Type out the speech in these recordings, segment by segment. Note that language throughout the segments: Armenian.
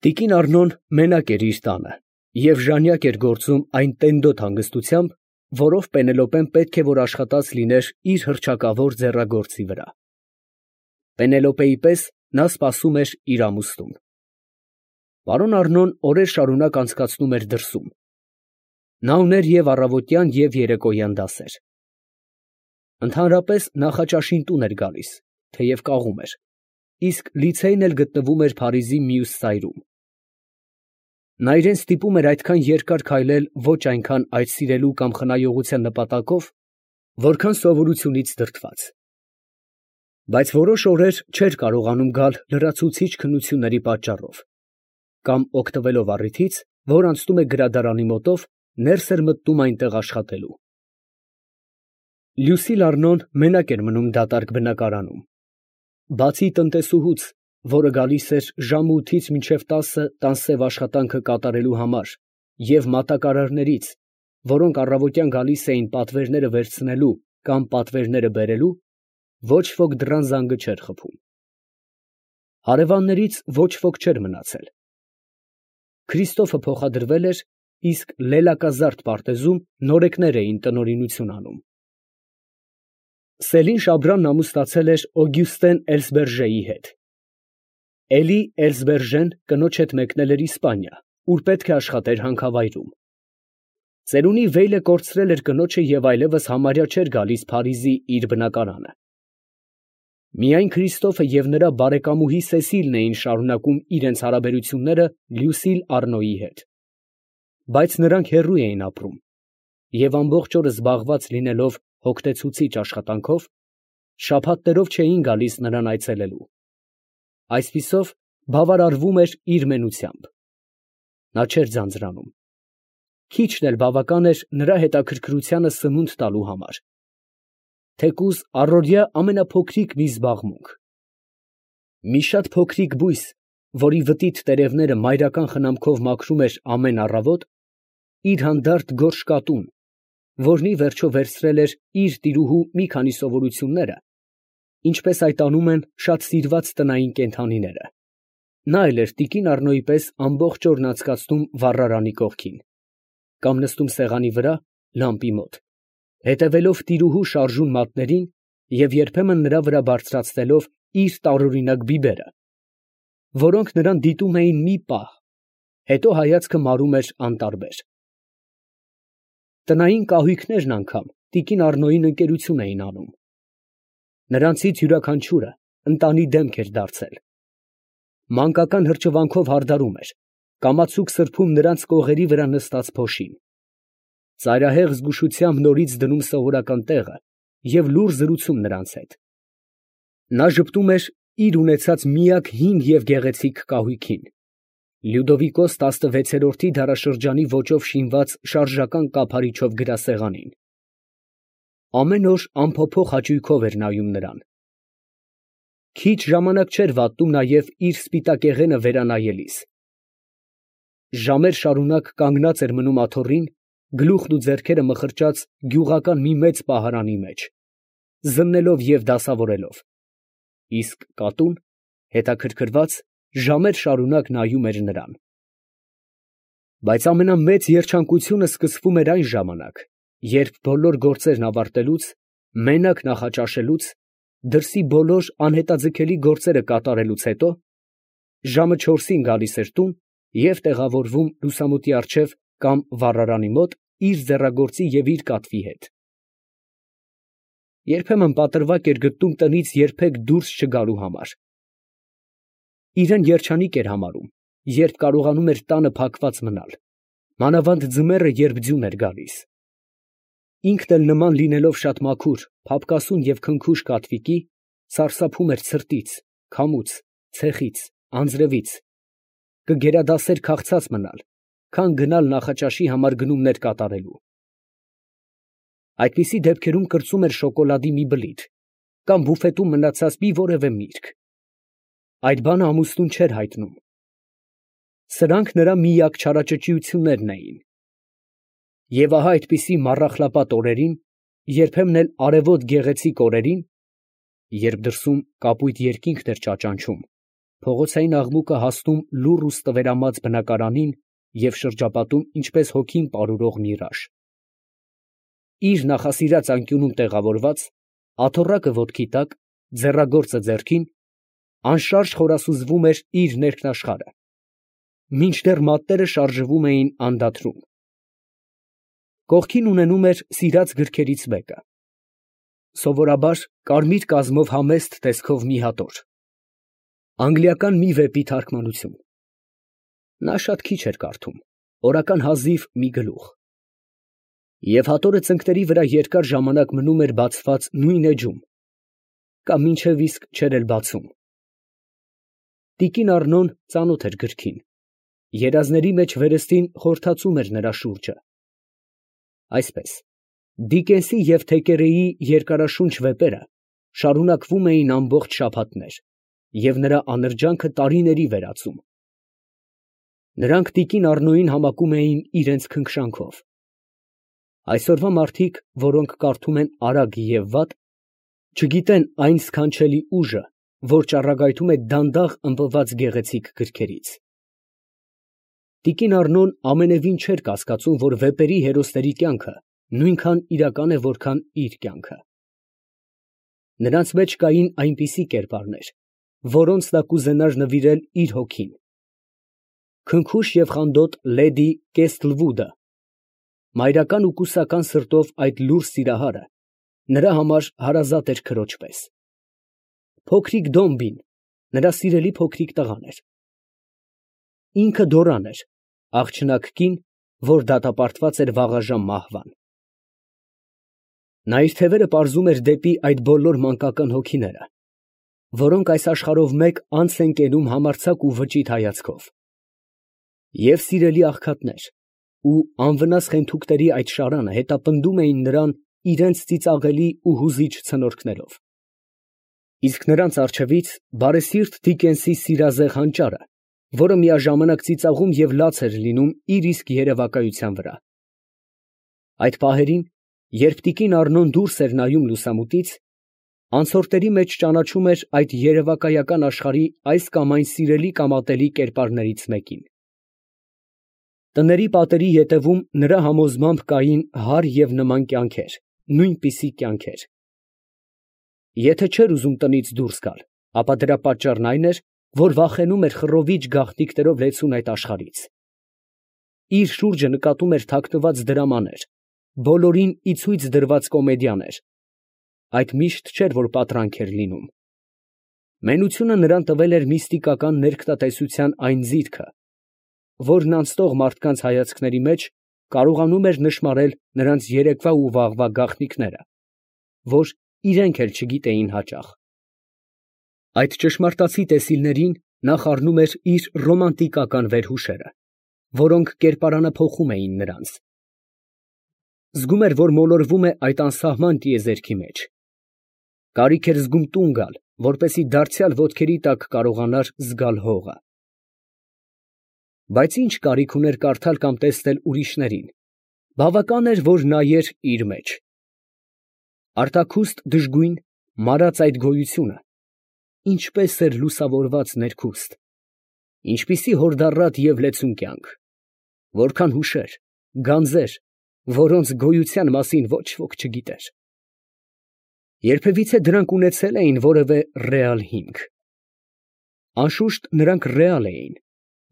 Տիկին Առնոն մենակ էր իր տանը և ժանյակ էր գործում այն տենդոտ հանգստությամբ, որով Պենելոպեն պետք է որ աշխատած լիներ իր հռչակավոր ձեռագործի վրա։ Պենելոպեի պես նա սպասում էր իր ամուսնուն։ Պարոն Առնոն օրեր շարունակ անցկացնում էր դրսում. նա ուներ և առավոտյան և երեկոյան դասեր։ Ընդհանրապես նախաճաշին տուն էր գալիս, թեև կաղում էր, իսկ լիցեյն էլ գտնվում էր Փարիզի մյուս ծայրում։ Նա իրան ստիպում էր այդքան երկար քայլել ոչ այնքան այդ սիրելու կամ խնայողության նպատակով, որքան սովորությունից դրդված։ Բայց որոշ օրեր չէր կարողանում գալ լրացուցիչ քննությունների պատճառով, կամ օգտվելով առիթից, որ անցնում է գրադարանի մոտով, ներս էր մտնում այնտեղ աշխատելու։ Լյուսիլ Առնոն մենակ էր մնում դատարկ բնակարանում։ Բացի տնտեսուհուց, որը գալիս էր ժամը 8-ից մինչև 10 տան սև աշխատանքը կատարելու համար, և մատակարարներից, որոնք առավոտյան գալիս էին պատվերները վերցնելու կամ պատվերները բերելու, ոչ ոք դռան զանգը չէր խփում։ Հարևաններից ոչ ոք չէր մնացել։ Քրիստոֆը փոխադրվել էր, իսկ լելակազարդ պարտեզում նորեկներ էին տնօրինություն անում։ Սելին Շաբրանն ամուսնացել էր Օգյուստեն Էլսբերժեի հետ։ Էլի Էլսբերժեն կնոջ հետ մեկնել էր Իսպանիա, ուր պետք է աշխատեր հանքավայրում։ Ծերունի վեյլը կորցրել էր կնոջը և այլևս համարյա չէր գալիս Փարիզի իր բնակարանը։ Միայն Քրիստոֆը և նրա բարեկամուհի Սեսիլն էին շարունակում իրենց հարաբերությունները Լյուսիլ Առնոյի հետ, բայց նրանք հեռու էին ապրում, և ամբողջ օրը զբաղված լինելով հոգնեցուցիչ աշխատանքով, շաբաթներով չէին գալիս նրան այցելելու։ Այսպիսով բավարարվում էր իր մենությամբ։ Նա չէր ձանձրանում։ Քիչն էլ բավական էր նրա հետաքրքրությանը սնունդ տալու համար, թեկուզ առօրյա ամենափոքրիկ մի զբաղմունք։ Մի շատ փոքրիկ բույս, որի վտիտ տերևները մայրական խնամքով մաքրում էր ամեն առավոտ, իր հանդարտ գորշ կատուն, որն ի վերջո վերցրել էր իր տիրուհու մի քանի սովորությունները, ինչպես այդ անում են շատ սիրված տնային կենդանիները, նա էլ էր տիկին Առնոյի պես ամբողջ օրն անցկացնում վառարանի կողքին, կամ նստում սեղանի վրա լամպի մոտ, հետևելով տիրուհու շարժուն մատներին և երբեմն նրա վրա բարձրացնելով իր տարօրինակ բիբերը, որոնք նրան դիտում էին մի պահ, հետո հայացքը մարում էր անտարբեր։ Տնային կահույքներն անգամ տիկին Առնոյին ընկերություն էին անում։ Նրանցից յուրաքանչյուրը ընտանի դեմք էր դարձել։ Մանկական հրճվանքով հարդարում էր, կամացուկ սրբում նրանց կողերի վրա նստած փոշին, ծայրահեղ զգուշությամբ նորից դնում սովորական տեղը և լուռ զրուցում նրանց հետ։ Նա ժպտում էր իր ունեցած միակ հին և գեղեցիկ կահույքին, Լյուդովիկոս 16-րդի դարաշրջանի ոճով շինված շարժական կափարիչով գրասեղանին։ Ամեն օր անփոփոխ հաճույքով էր նայում նրան։ Քիչ ժամանակ չէր վատնում նաև իր սպիտակեղենը վերանայելիս։ Ժամեր շարունակ կանգնած էր մնում աթոռին, գլուխն ու ձեռքերը մխրճած գյուղական մի մեծ պահարանի մեջ, զննելով և դասավորելով, իսկ կատուն, հետաքրքրված, ժամեր շարունակ նայում էր նրան։ Բայց ամենամեծ երջանկությունը սկսվում էր այն ժամանակ, երբ բոլոր գործերն ավարտելուց, մենակ նախաճաշելուց, դրսի բոլոր անհետաձգելի գործերը կատարելուց հետո, ժամը 4-ին գալիս էր տուն և տեղավորվում լուսամուտի առջև կամ վառարանի մոտ իր ձեռագործի և իր կատվի հետ։ Երբեմն պատրվակ էր գտնում տնից երբեք դուրս չգալու համար։ Իրան երջանիկ էր համարում, երբ կարողանում էր տանը փակված մնալ, մանավանդ ձմեռը, երբ ձյուն էր գալիս։ Ինքն էլ նման լինելով շատ մաքուր, փափկասուն և քնքուշ կատվիկի, սարսափում էր ցրտից, քամուց, ցեխից, անձրևից, կգերադասեր քաղցած մնալ, քան գնալ նախաճաշի համար գնումներ կատարելու։ Այդպիսի դեպքերում կրծում էր շոկոլադի մի բլիթ կամ բուֆետում մնացած մի որևէ միրգ։ Այդ բանը ամուսնուն չէր հայտնում։ Սրանք նրա միակ չարաճճիություններն էին։ Եվ ահա այդպիսի մառախլապատ օրերին, երբեմն էլ արևոտ գեղեցիկ օրերին, երբ դրսում կապույտ երկինքն էր ճաճանչում, փողոցային աղմուկը հասնում լուռ ու ստվերամած բնակարանին և շրջապատում ինչպես հոգին պարուրող միրաժ։ Իր նախասիրած անկյունում տեղավորված, աթոռակը ոտքի տակ, ձեռագործը ձեռքին, անշարժ խորասուզվում էր իր ներքնաշխարհը, մինչդեռ մատները շարժվում էին անդադրում։ Կողքին ունենում էր սիրած գրքերից մեկը, սովորաբար կարմիր կազմով համեստ տեսքով մի հատոր, անգլիական մի վեպի թարգմանություն։ Նա շատ քիչ էր կարդում, օրական հազիվ մի գլուխ, և հատորը ծնկների վրա երկար ժամանակ մնում էր բացված նույն էջում, կամ մինչև իսկ չէր էլ բացում։ Տիկին Առնոն ծանոթ էր գրքին, երազների մեջ վերստին խորհրդածում էր նրա շուրջը։ Այսպես, Դիկենսի և Թեկերեի երկարաշունչ վեպերը շարունակվում էին ամբողջ շաբաթներ և նրա աներճանքը տարիների վերածում։ Նրանք տիկին Առնոյին համակում էին իրենց քնքշանքով։ Այսօրվա մարդիկ, որոնք կարդում են արագ և վատ, չգիտեն այն սքանչելի ուժը, որ ճառագայթում է դանդաղ ըմբոված գեղեցիկ գրքերից։ Տիկին Առնոն ամենևին չէր կասկածում, որ վեպերի հերոսների կյանքը նույնքան իրական է, որքան իր կյանքը։ Նրանց մեջ կային այնպիսի կերպարներ, որոնց նա կուզենար նվիրել իր հոգին։ Քնքուշ և խանդոտ լեդի Կեսթլվուդը, մայրական ու կուսական սրտով այդ լուռ սիրահարը, նրա համար հարազատ էր քրոջ պես։ Փոքրիկ Դոմբին նրա սիրելի փոքրիկ տղան էր։ Ինքը Դորան էր, աղջնակ կին, որ դատապարտված էր վաղաժամ մահվան։ Նա իր թևերը պարզում էր դեպի այդ բոլոր մանկական հոգիները, որոնք այս աշխարհով մեկ անց են կենում համարձակ ու վճիտ հայացքով։ Եվ սիրելի աղքատներ, ու անվնաս խենթուկների այդ շարանը հետապնդում էին նրան իրենց ծիծաղելի ու հուզիչ ցնորքներով։ Իսկ նրանց առջևից բարեսիրտ Դիկենսի սիրազեղ հանճարը, որը միաժամանակ ծիծաղում և լաց էր լինում իր իսկ երևակայության վրա։ Այդ պահերին, երբ տիկին Առնոն դուրս էր նայում լուսամուտից, անցորդների մեջ ճանաչում էր այդ երևակայական աշխարհի այս կամ այն սիրելի կամ ատելի կերպարներից մեկին։ Տների պատերի ետևում նրա համոզմամբ կային հարր և նման կյանքեր, նույնպիսի կյանքեր։ Եթե չէր ուզում տնից դուրս գալ, ապա դրա պատճառն այն էր, որ վախենում էր խռովիչ գաղտնիքներով լեցուն այդ աշխարհից։ Իր շուրջը նկատում էր թաքնված դրամաներ, բոլորին ի ցույց դրված կոմեդիաներ։ Այդ միշտ չէր, որ պատրանք էր լինում։ Մենությունը նրան տվել էր միստիկական ներքնատեսության այն ձիրքը, որն անցնող մարդկանց հայացքների մեջ կարողանում էր նշմարել նրանց երեկվա ու վաղվա գաղտնիքները, որ իրենք էլ չգիտեին հաճախ։ Այդ ճշմարտացի տեսիլներին նա խառնում էր իր ռոմանտիկական վերհուշերը, որոնք կերպարանափոխում էին նրանց։ Զգում էր, որ մոլորվում է այդ անսահման տիեզերքի մեջ։ Կարիք էր զգում տուն գալ, որպեսզի դարձյալ ոտքերի տակ կարողանար զգալ հողը։ Բայց ինչ կարիք ուներ կարդալ կամ տեսնել ուրիշներին, բավական էր, որ նայեր իր մեջ։ Արտաքուստ դժգույն, մարած այդ գոյությունը ինչպես էր լուսավորված ներքուստ, ինչպիսի հորդառատ և լեցուն կյանք, որքան հուշեր, գանձեր, որոնց գոյության մասին ոչ ոք չգիտեր։ Երբևիցե դրանք ունեցել էին որևէ ռեալ հիմք։ Անշուշտ նրանք ռեալ էին,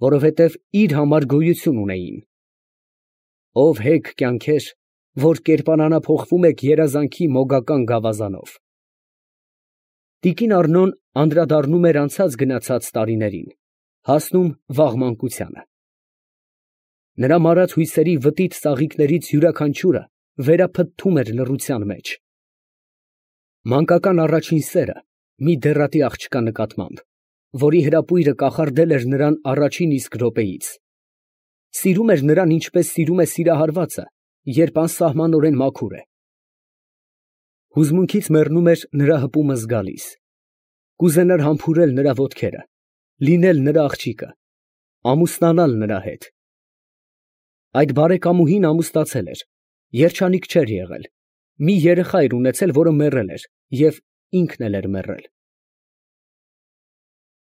որովհետև իր համար գոյություն ունեին։ Ով հեգ կյանքեր, որ կերպարանափոխվում եք երազանքի մոգական գավազանով։ Տիկին Առնոն անդրադառնում էր անցած գնացած տարիներին, հասնում վաղ մանկությանը։ Նրա մարած հույսերի վտիտ ծաղիկներից յուրաքանչյուրը վերափթթում էր լռության մեջ։ Մանկական առաջին սերը մի դեռատի աղջկա նկատմամբ, որի հրապույրը կախարդել էր նրան առաջին իսկ րոպեից։ Սիրում էր նրան, ինչպես սիրում է սիրահարվածը, երբ անսահմանորեն մաքուր է։ Հուզմունքից մեռնում էր նրա հպումը զգալիս։ Կուզենար համբուրել նրա ոտքերը, լինել նրա աղջիկը, ամուսնանալ նրա հետ։ Այդ բարեկամուհին ամուսնացել էր, երջանիկ չէր եղել, մի երեխա էր ունեցել, որը մեռել էր, և ինքն էլ էր մեռել։